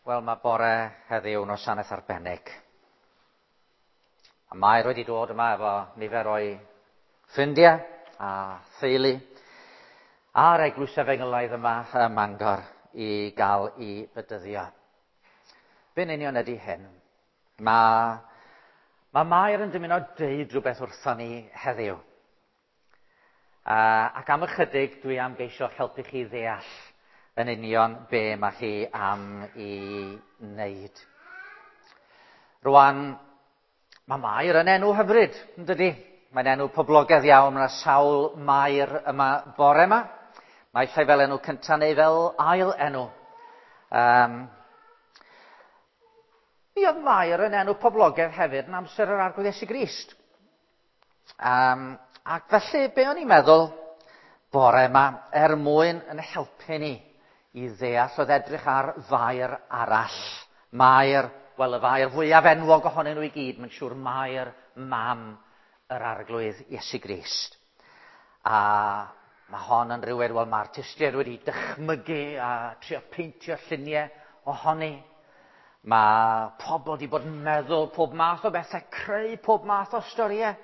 Wel, mae bore heddiw yn wasanaeth arbennig. A Mair wedi dod yma efo nifer o'i ffrindiau a theulu a'r eglwys efengylaidd yma ym Mangor i gael i fedyddio. Be'n union ydy hyn? Mae, mae Mair yn dymuno deud rhywbeth wrthon ni heddiw. Ac am ychydig dwi am geisio helpu chi ddeall yn union be mae chi am i wneud. Rwan, mae Mair yn enw hyfryd, yn dydy? Mae'n enw poblogaidd iawn, mae yna sawl Mair yma bore yma. Mae llai fel enw cyntaf neu fel ail enw. Um, mi oedd Mair yn enw poblogaidd hefyd yn amser yr Arglwydd Iesu Grist. Um, ac felly, be o'n i'n meddwl bore yma, er mwyn yn helpu ni i ddeall oedd edrych ar fair arall. Mair, wel y fair fwyaf enwog ohonyn nhw i gyd, mae'n siŵr Mair mam yr Arglwydd Iesu Grist. A mae hon yn rhywun, wel mae'r artistiaid wedi dychmygu a trio peintio lluniau ohoni. Mae pobl wedi bod yn meddwl pob math o bethau, creu pob math o storïau.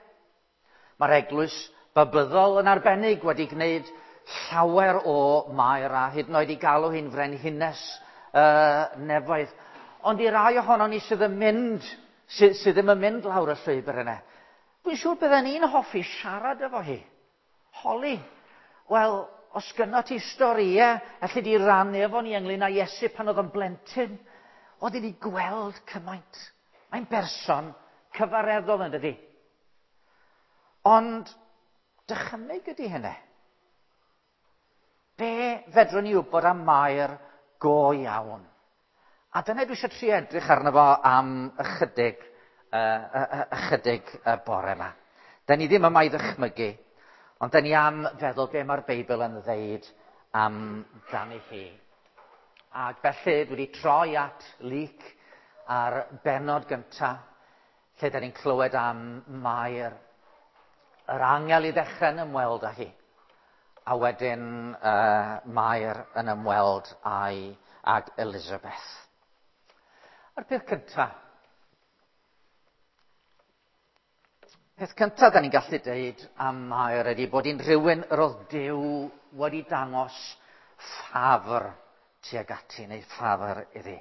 Mae'r eglwys babyddol yn arbennig wedi gwneud llawer o Mair a hyd yn oed i galw hi'n frenhines uh, nefoedd. Ond i rai ohono ni sydd yn mynd, sydd, sydd ddim yn mynd lawr y llwybr yna, dwi'n siŵr bydden ni'n hoffi siarad efo hi. Holi. Wel, os gynno ti storïau, allu di rannu efo ni ynglyn â Iesu pan oedd o'n blentyn, oedd i ni gweld cymaint. Mae'n berson cyfareddol yn dydi. Ond dychymyg ydy hynny. Be fedrwn ni wybod am Mair go iawn? A dyna dwi eisiau trio edrych arno fo am ychydig, uh, ychydig y bore yma. Da ni ddim yma i ddychmygu, ond da ni am feddwl be mae'r Beibl yn ddeud amdani hi. Ac felly dwi wedi troi at Luc ar benod gyntaf, lle da ni'n clywed am Mair, yr angel i ddechrau yn ymweld â hi, a wedyn uh, Mair yn ymweld â'i ag Elizabeth. A'r peth cyntaf, peth cyntaf da ni'n gallu deud am Mair ydy bod hi'n rhywun yr oedd Duw wedi dangos ffafr tuag ati neu ffafr iddi.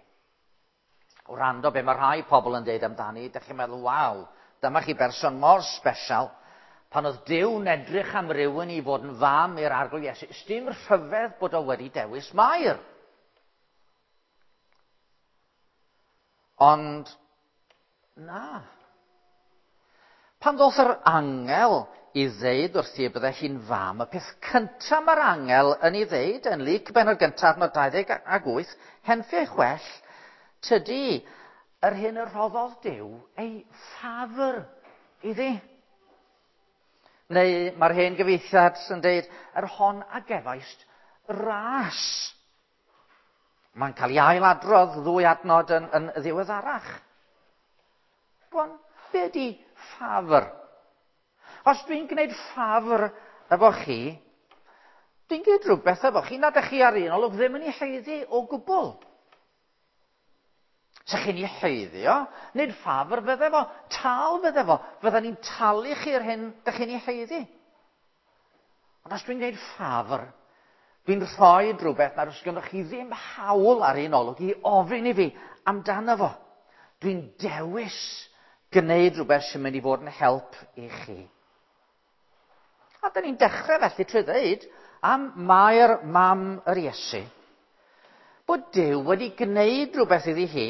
Wrando be mae rhai pobl yn deud amdani, ydych chi'n meddwl, waw, dyma chi berson mor special. Pan oedd Duw'n edrych am rywun i fod yn fam i'r Arglwydd Iesu, dim rhyfedd bod o wedi dewis Mair. Ond, na. Pan ddoth yr angel i ddeud wrthi y bydde hi'n fam, y peth cyntaf mae'r angel yn ei ddeud yn Luc benod gyntaf adnod 28, henffi ei chwell, tydi yr hyn y rhoddodd Duw ei ffafr iddi. Neu mae'r hen gyfieithiad yn deud, yr hon a gefaist ras. Mae'n cael ei ailadrodd ddwy adnod yn, yn ddiweddarach. Rwan, be ydy ffafr? Os dwi'n gwneud ffafr efo chi, dwi'n gwneud rhywbeth efo chi nad ydych chi ar un olwg ddim yn ei haeddu o gwbl. Sa chi'n ei haeddu o, nid ffafr fydde fo, tal fydde fo, fydden ni'n talu chi'r hyn dych chi'n ei haeddu. Ond os dwi'n gwneud ffafr, dwi'n rhoi rhywbeth nad oes gennych chi ddim hawl ar un olwg i ofyn i fi amdano fo. Dwi'n dewis gwneud rhywbeth sy'n mynd i fod yn help i chi. A dyn ni'n dechrau felly trwy ddeud am Mair mam yr Iesu, bod Duw wedi gwneud rhywbeth iddi hi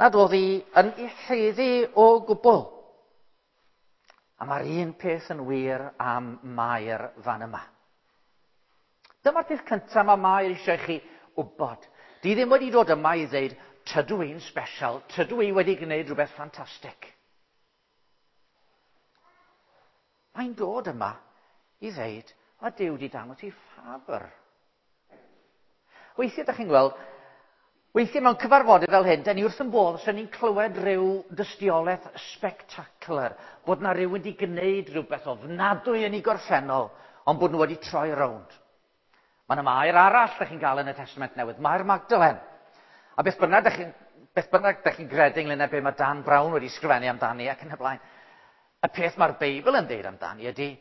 nad oedd hi yn ei haeddu o gwbl. A mae'r un peth yn wir am Mair fan yma. Dyma'r peth cyntaf mae Mair eisiau chi wybod. Di ddim wedi dod yma i ddeud, tydw i'n special, tydw i wedi gwneud rhywbeth ffantastig. Mae'n dod yma i ddeud, mae Duw wedi dangos i ffafr. Weithiau, da chi'n gweld, weithiau mewn cyfarfodydd fel hyn, da ni wrth yn bodd os ni'n clywed rhyw dystiolaeth spectacular, bod na rhywun wedi gwneud rhywbeth ofnadwy yn ei gorffennol, ond bod nhw wedi troi rownd. Mae yna mair arall da chi'n gael yn y Testament Newydd, Mair Magdalen. A beth bynnag ydych chi'n beth bynnag ydych chi'n gredu ynglyn â be mae Dan Brown wedi sgrifennu amdani ac yn y blaen, y peth mae'r Beibl yn deud amdani ydy,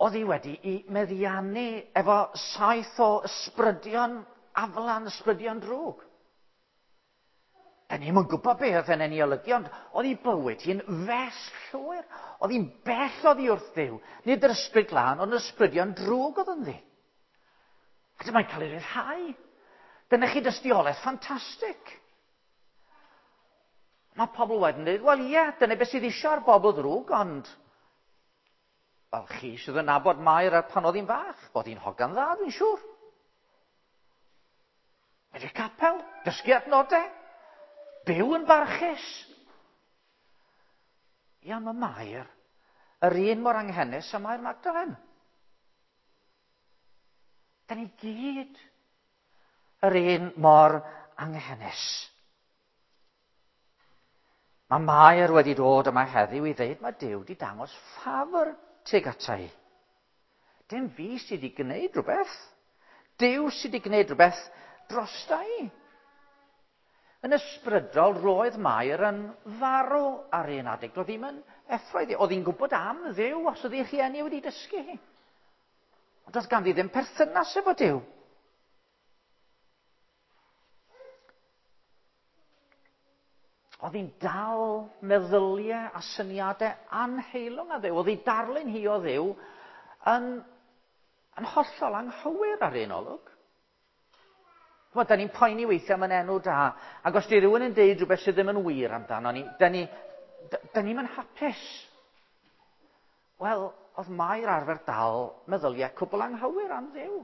oedd hi wedi i meddiannu efo saith o ysbrydion aflan, ysbrydion drwg. Da ni'm yn gwybod be oedd hynny'n ei olygu, ond oedd ei bywyd hi'n fes llwyr. Oedd hi'n bell oddi wrth Dduw. Nid yr ysbryd glân, ond ysbrydion drwg oedd ynddi. A dyma'n cael ei ryddhau. Dyna chi dystiolaeth ffantastig. Mae pobl wedyn dweud, wel ie, dyna beth sydd eisiau ar bobl ddrwg, ond wel, chi sydd yn nabod Mair ar pan oedd hi'n fach, bod hi'n hogan dda, dwi'n siŵr. Medru capel, dysgu adnodau, byw yn barchus. Ia, mae Mair yr un mor anghenus â Mair Magdalen. Da ni gyd yr un mor anghenus. Mae Mair wedi dod yma heddiw i ddeud mae Duw wedi dangos ffafr tuag ata i. Dim fi sydd wedi gwneud rhywbeth. Duw sydd wedi gwneud rhywbeth drosta i. Yn ysbrydol, roedd Mair yn farw ar un adeg. Doedd ddim yn effro iddi. Oedd hi'n gwybod am Dduw os oedd ei rhieni wedi dysgu hi. Ond doedd ganddi ddim perthynas efo Duw. Oedd hi'n dal meddyliau a syniadau anheilwng a Dduw. Oedd hi darlun hi o Dduw yn, yn hollol anghywir ar un olwg. Ch'mod, da ni'n poeni weithiau am yn enw da, ac os di rhywun yn deud rhywbeth sydd ddim yn wir amdano ni, da ni, da, da ni'n hapus. Wel, oedd Mair arfer dal meddyliau cwbl anghywir am Dduw.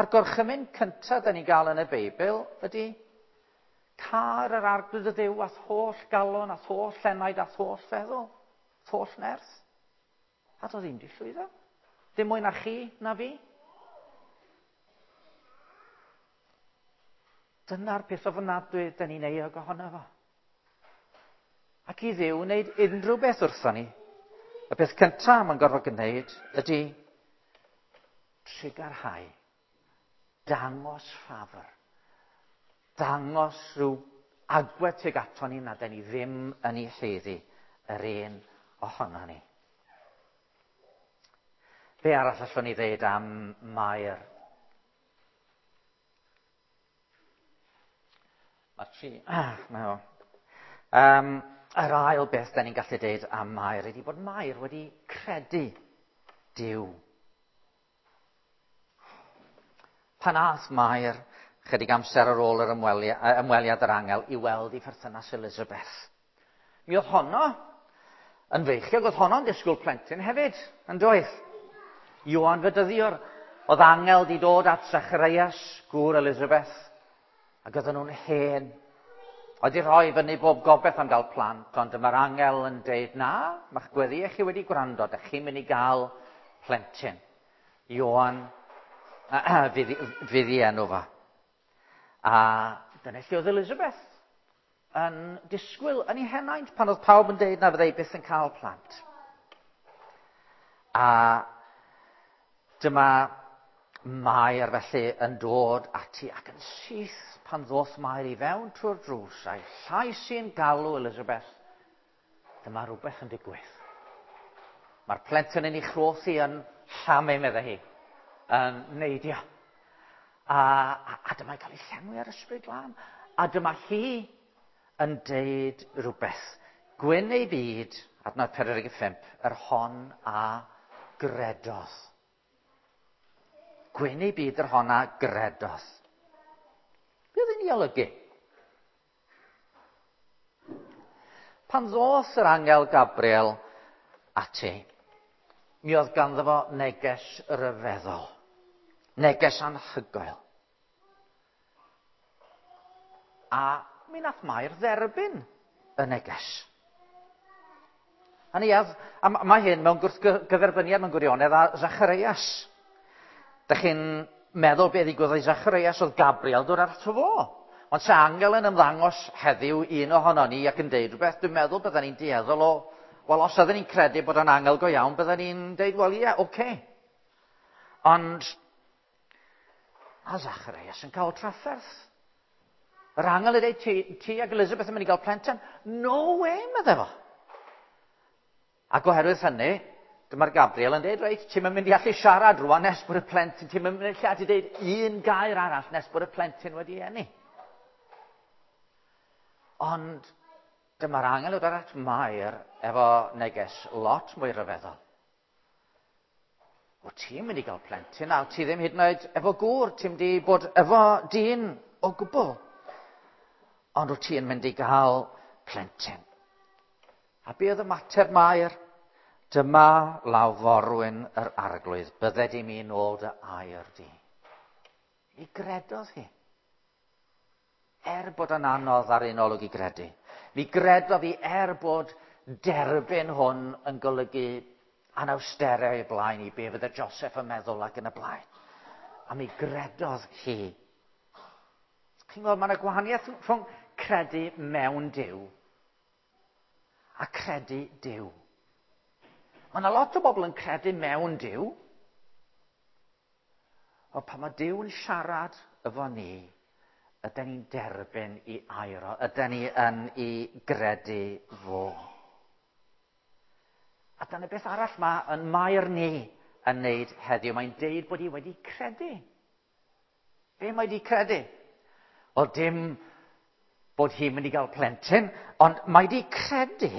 A'r gorchymyn cyntaf da ni'n gael yn y Beibl ydy car yr arglwydd y Dduw a'th holl galon, a'th holl enaid, a'th holl feddwl, a'th holl nerth. A doedd ddim di llwyddo. Dim mwy na chi, na fi. Dyna'r peth ofnadwy da ni'n euog ohono fo. Ac i Dduw wneud unrhyw beth wrtho ni, y peth cyntaf mae'n gorfod gwneud ydy trugarhau, dangos ffafr, dangos rhyw agwedd tuag ato ni na da ni ddim yn ei haeddu yr un ohono ni. Be arall allwn ni ddeud am Mair? Mae'r tri... Ah, mae o. Yr ail beth da ni'n gallu deud am Mair ydy bod Mair wedi credu Duw. Pan ath Mair, chydig amser ar ôl yr ymweliad, ymweliad yr angel, i weld ei pherthynas Elizabeth. Mi oedd honno yn feichiog, oedd honno'n disgwyl plentyn hefyd, yn doedd? Ioan Fedyddiwr, oedd angel di dod at Zacharias, gŵr Elizabeth, ac oedden nhw'n hen. Oedd di rhoi fyny bob gobeith am gael plant, ond dyma'r angel yn deud, na, mae'ch gweddiau chi wedi gwrando, dych chi'n mynd i gael plentyn. Ioan fydd, fydd i enw fo. A dyna lle oedd Elizabeth yn disgwyl yn ei henaint pan oedd pawb yn deud na fyddai byth yn cael plant. A dyma Mair felly yn dod ati ac yn syth pan ddoth Mair i fewn trwy'r drws a'i llais i'n galw Elizabeth, dyma rhywbeth yn digwydd. Mae'r plentyn yn ei chroth hi yn llamu, meddai hi, yn neidio. A, a, a dyma'n cael ei llenwi ar ysbryd glân. A dyma hi yn deud rhywbeth. Gwyn ei byd, adnod 45, yr hon a gredodd. Gwyn ei byd yr hon a gredodd. Be oedd hi'n ei olygu? Pan ddoth yr angel Gabriel ati, mi oedd ganddo fo neges ryfeddol. Neges anhygoel. A mi nath Mair dderbyn y neges. A ni, a mae hyn mewn gwrthgyferbyniad mewn gwirionedd â Zacharias. Dych chi'n meddwl be ddigwyddodd i Zacharias oedd Gabriel dod ato fo. Ond sa angel yn ymddangos heddiw un ohono ni ac yn deud rhywbeth, dwi'n meddwl bydden ni'n dueddol o, wel, os oedden ni'n credu bod o'n angel go iawn, bydden ni'n deud, wel, ie, yeah, oce. Okay. Ond, a Zacharias yn cael trafferth. Yr angel yn dweud, ti ac Elizabeth yn mynd i gael plentyn? No way, medde fo. Ac oherwydd hynny, dyma'r Gabriel yn dweud, reit, ti'n mynd i allu siarad rwan nes bod y plentyn, ti'n mynd i allu dweud un gair arall nes bod y plentyn wedi eni. Ond dyma'r angel yn dod at Mair efo neges lot mwy rhyfeddol. O, ti'n mynd i gael plentyn, a ti ddim hyd yn oed efo gŵr, ti'n mynd i bod efo dyn o gwbl. Ond wyt ti'n mynd i gael plentyn. A be oedd ymateb Mair? Dyma law forwyn yr Arglwydd, bydded i mi nôl dy air di. Mi gredodd hi. Er bod yn anodd ar un olwg i gredu. Mi gredodd hi er bod derbyn hwn yn golygu anawsterau i blaen i be fydde Joseph yn meddwl ac yn y blaen. A mi gredodd hi. Chi'n gweld, mae yna gwahaniaeth rhwng credu mewn Duw a credu Duw. Mae yna lot o bobl yn credu mewn Duw, ond pan mae Duw yn siarad efo ni, ydyn ni'n derbyn i air o, ydyn ni yn ei gredu fo. A dyna beth arall mae yn Mair ni yn neud heddiw. Mae'n deud bod hi wedi credu. Be mae wedi credu? Wel, dim bod hi'n mynd i gael plentyn, ond mae wedi credu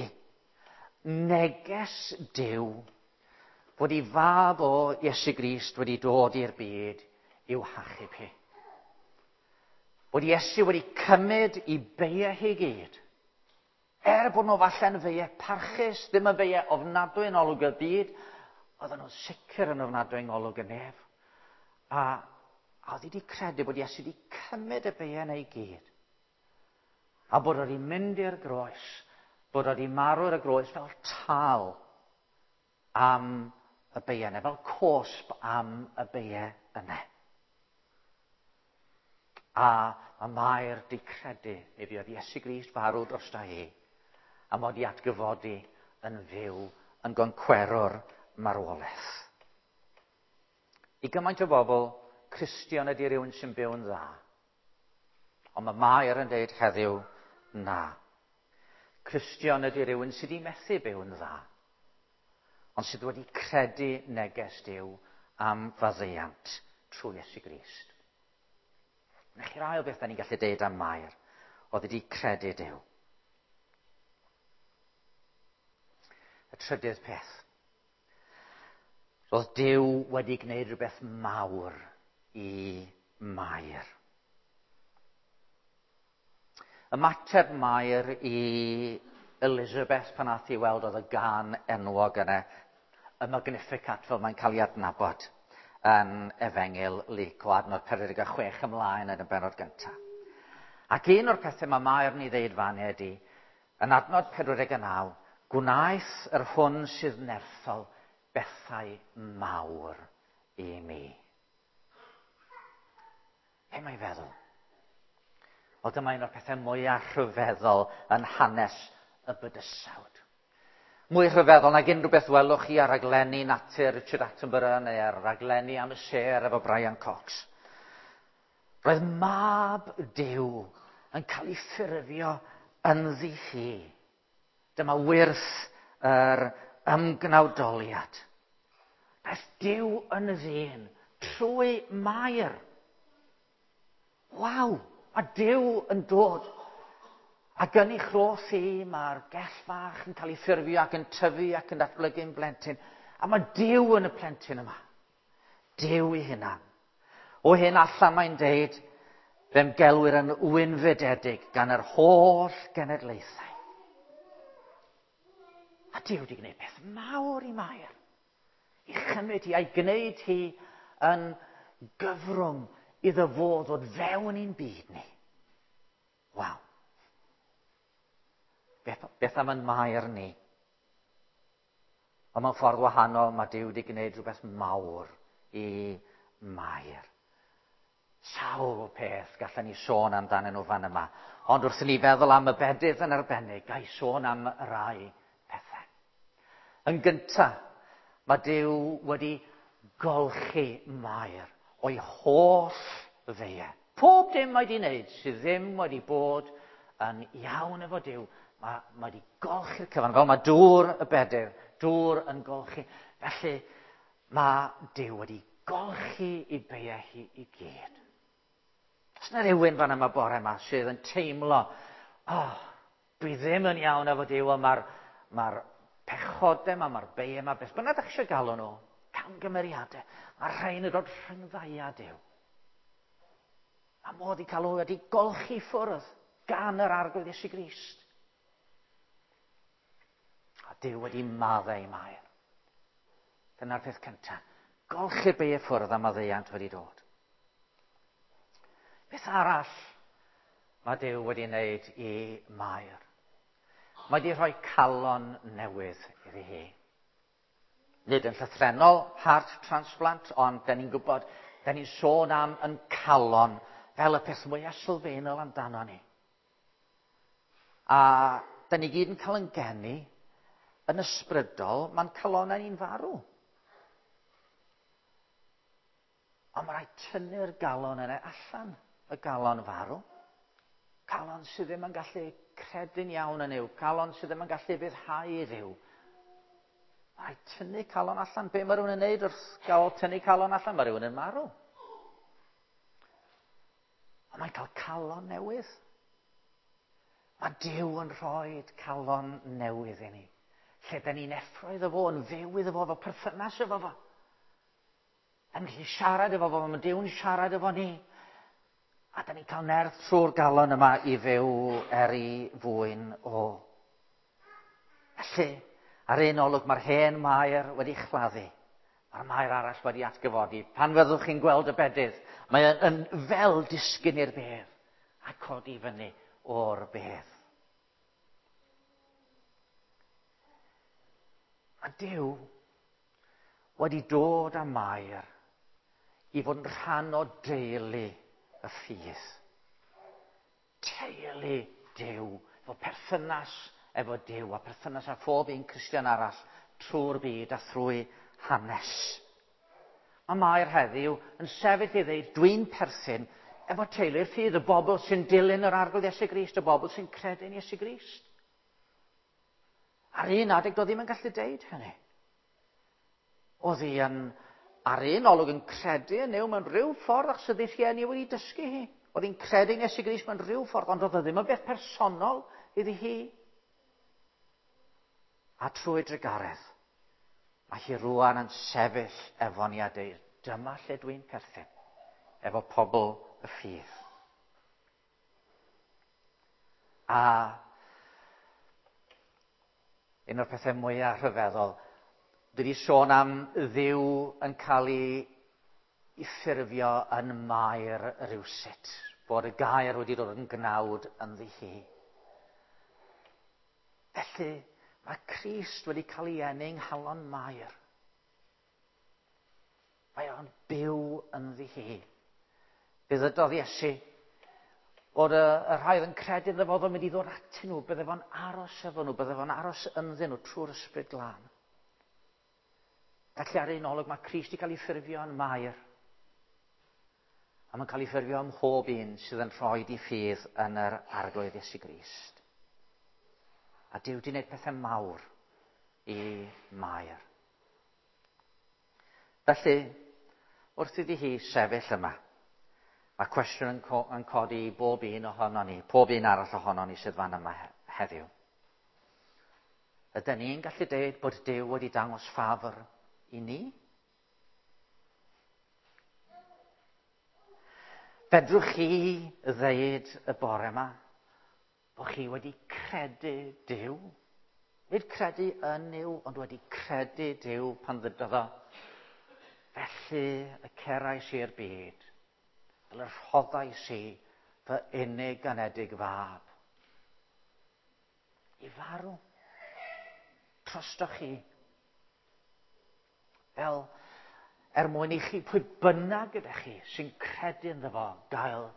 neges Duw fod ei fab o Iesu Grist wedi dod i'r byd i'w hachub hi. Bod Iesu wedi cymryd i beiau hi gyd. Er bod nhw falle'n feiau parchus, ddim yn feiau ofnadwy yn olwg y byd, oedden nhw'n sicr yn ofnadwy yng ngolwg y nef. A oedd hi wedi credu bod Iesu wedi cymryd y beiau yna i gyd. A bod wedi mynd i'r groes, bod wedi marw ar y groes fel tal am y beiau yna, fel cosb am y beiau yna. A mae Mair di credu mi fuodd Iesu Grist farw drosta hi, a mod i atgyfodi yn fyw yn goncwerwr marwolaeth. I gymaint o bobl, Cristion ydy rhywun sy'n byw'n dda. Ond mae Mair yn deud heddiw, na. Cristion ydy rhywun sydd wedi methu byw'n dda, ond sydd wedi credu neges Duw am faddeuant trwy Iesu Grist. Na chi'r ail beth da ni'n gallu deud am Mair, oedd wedi credu Duw. Y trydydd peth. Roedd Duw wedi gwneud rhywbeth mawr i Mair. Ymateb Mair i Elizabeth pan ath hi weld oedd y gan enwog yna, y Magnificat fel mae'n cael ei adnabod yn Efengyl Luc o adnod 46 ymlaen yn y bennod gyntaf. Ac un o'r pethau mae Mair yn ei ddeud fan ydy, yn adnod 49, gwnaeth yr hwn sydd nerthol bethau mawr i mi. Be mae'n feddwl? O, dyma un o'r pethau mwyaf rhyfeddol yn hanes y bydysawd. Mwy rhyfeddol nag unrhyw beth welwch chi ar raglenni natur Richard Attenborough neu ar raglenni am y sêr efo Brian Cox. Roedd mab Duw yn cael ei ffurfio ynddi hi. Dyma wyrth yr ymgnawdoliad. Daeth Duw yn ddyn trwy Mair. Waw! Mae Duw yn dod. Ac yn ei chroth hi, mae'r gell fach yn cael ei ffurfio ac yn tyfu ac yn datblygu'n blentyn. A mae Duw yn y plentyn yma. Duw ei hunan. O hyn allan mae'n deud, fe'm gelwir yn wynfydedig gan yr holl genedlaethau. A Duw wedi gwneud peth mawr i Mair. I chymryd hi a'i gwneud hi yn gyfrwng iddo fo ddod fewn i'n byd ni. Waw. Beth am yn Mair ni? Ond mewn ffordd wahanol, mae Duw wedi gwneud rhywbeth mawr i Mair. Sawl peth gallen ni sôn amdanyn nhw fan yma. Ond wrth i ni feddwl am y bedydd yn arbennig, ga i sôn am rai pethau. Yn gyntaf, mae Duw wedi golchi Mair o'i holl feiau. Pob dim mae wedi wneud sydd ddim wedi bod yn iawn efo Duw, mae wedi golchi'r cyfan, fel mae dŵr y bedydd, dŵr yn golchi. Felly mae Duw wedi golchi ei beiau hi i gyd. Oes yna rhywun fan yma bore yma sydd yn teimlo, oh, dwi ddim yn iawn efo Duw, ond mae'r pechodau yma, mae'r beiau yma, beth bynnag ydych chi eisiau galw nhw, camgymeriadau, mae rhain yn dod rhyngdda i a Duw. Mae modd i cael nhw wedi golchi ffwrdd gan yr Arglwydd Iesu Grist. A Duw wedi maddau i Mair. Dyna'r peth cyntaf. Golchi'r beiau ffwrdd a maddeuant wedi dod. Beth arall mae Duw wedi wneud i Mair? Mae wedi rhoi calon newydd iddi hi. Nid yn llythrennol heart transplant, ond da ni'n gwybod, da ni'n sôn am yn calon fel y peth mwyaf sylfaenol amdano ni. A da ni gyd yn cael yn geni yn ysbrydol, mae'n calonau ni'n farw. Ond mae rhaid tynnu'r galon yna allan, y galon farw. Calon sydd ddim yn gallu credu'n iawn yn Nuw, calon sydd ddim yn gallu ufuddhau i Dduw. Mae rhaid tynnu calon allan. Be mae rhywun yn neud wrth gael tynnu calon allan? Mae rhywun yn marw. Ond mae'n cael calon newydd. Mae Duw yn rhoi calon newydd i ni. Lle da ni'n effro iddo fo, yn fyw iddo fo, efo perthynas efo fo. Yn gallu siarad efo fo, mae Duw'n siarad efo ni. A da ni'n cael nerth trwy'r galon yma i fyw er ei fwyn o. Felly, ar un olwg mae'r hen Mair wedi chladdu. Mae'r Mair arall wedi atgyfodi. Pan fyddwch chi'n gweld y bedydd, mae yn fel disgyn i'r bedd a codi fyny o'r bedd. Mae Duw wedi dod â Mair i fod yn rhan o deulu y ffydd. Teulu Duw, efo perthynas efo Duw a perthynas â phob un Cristion arall trwy'r byd a thrwy hanes. Mae Mair heddiw yn sefyll i ddeud, dwi'n perthyn efo teulu'r ffydd, y bobl sy'n dilyn yr Arglwydd Iesu Grist, y bobl sy'n credu'n Iesu Grist. Ar un adeg, doedd ddim yn gallu deud hynny. Oedd hi yn, ar un olwg yn credu yn Nuw mewn rhyw ffordd, achos oedd ei rhieni wedi dysgu hi. Oedd hi'n credu yn Iesu Grist mewn rhyw ffordd, ond oedd o ddim yn beth personol iddi hi. A trwy drugaredd, mae hi rwan yn sefyll efo ni a deud, dyma lle dwi'n perthyn, efo pobl y ffydd. A un o'r pethau mwyaf rhyfeddol, dwi wedi sôn am Dduw yn cael ei ffurfio yn Mair rywsut, bod y gair wedi dod yn gnawd ynddi hi. Felly, mae Crist wedi cael ei eni yng nghalon Mair. Mae o'n byw ynddi hi. Fe ddydodd Iesu bod y rhai oedd yn credu iddo fo oedd o'n mynd i ddod atyn nhw, bydde fo'n aros efo nhw, bydde fo'n aros ynddyn nhw trwy'r Ysbryd Glân. Felly ar un olwg mae Crist wedi cael ei ffurfio yn Mair. A mae'n cael ei ffurfio ym mhob un sydd yn rhoi di ffydd yn yr Arglwydd Iesu Grist. A Duw wedi gwneud pethau mawr i Mair. Felly, wrth iddi hi sefyll yma, mae cwestiwn yn codi i bob un ohono ni, pob un arall ohono ni sydd fan yma heddiw. Ydyn ni'n gallu deud bod Duw wedi dangos ffafr i ni? Fedrwch chi ddeud y bore yma bod chi wedi credu Duw? Nid credu yn Nuw, ond wedi credu Duw pan ddydodd o. Felly y cerais i'r byd, fel y rhoddais i fy unig anedig fab. I farw. Trostoch chi. Fel er mwyn i chi, pwy bynnag ydych chi sy'n credu ynddo fo, gael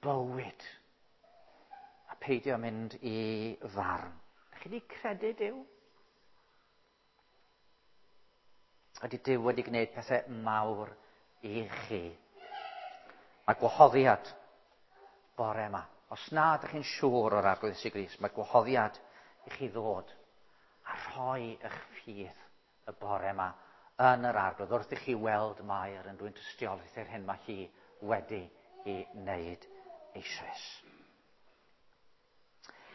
bywyd. A peidio mynd i farn. Ydych chi wedi credu Duw? Ydy Duw wedi gwneud pethau mawr i chi? Mae gwahoddiad bore yma. Os na ydych chi'n siŵr o'r Arglwydd Iesu Grist, mae gwahoddiad i chi ddod a rhoi eich ffydd y bore yma yn yr Arglwydd wrth i chi weld Mair yn dwyn tystiolaeth i'r hyn mae hi wedi i wneud eisoes.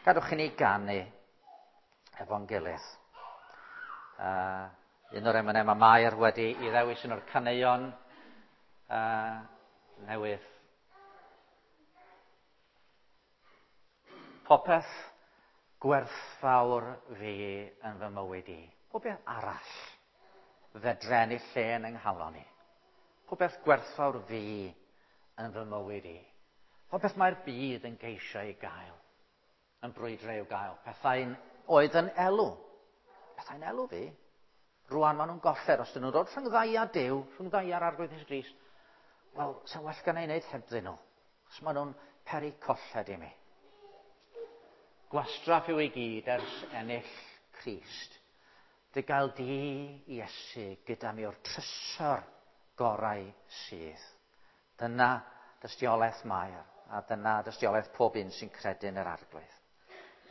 Gadwch i ni ganu efo'n gilydd. Un o'r emynau mae Mair wedi i ddewis un o'r caneuon newydd. Popeth gwerthfawr fi yn fy mywyd i. Popeth arall fedre ennill lle yn yng nghalon i. Popeth gwerthfawr fi yn fy mywyd i. Popeth mae'r byd yn geisio ei gael, yn brwydro i'w gael. Pethau'n oedd yn elw. Pethau'n elw fi. Rwan maen nhw'n golled. Os dyn nhw'n dod rhwng ddau a Duw, rhwng ddau a'r Arglwydd Iesu Grist, wel, sa'n well gan ei wneud hebddyn nhw. Os maen nhw'n peri colled i mi. Gwastraff yw ei gyd ers ennill Crist. Dy gael di, Iesu, gyda mi o'r trysor gorau sydd. Dyna dystiolaeth Mair, a dyna dystiolaeth pob un sy'n credu yn yr Arglwydd.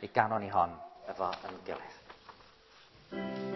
Mi ganon ni hon efo yn gilydd.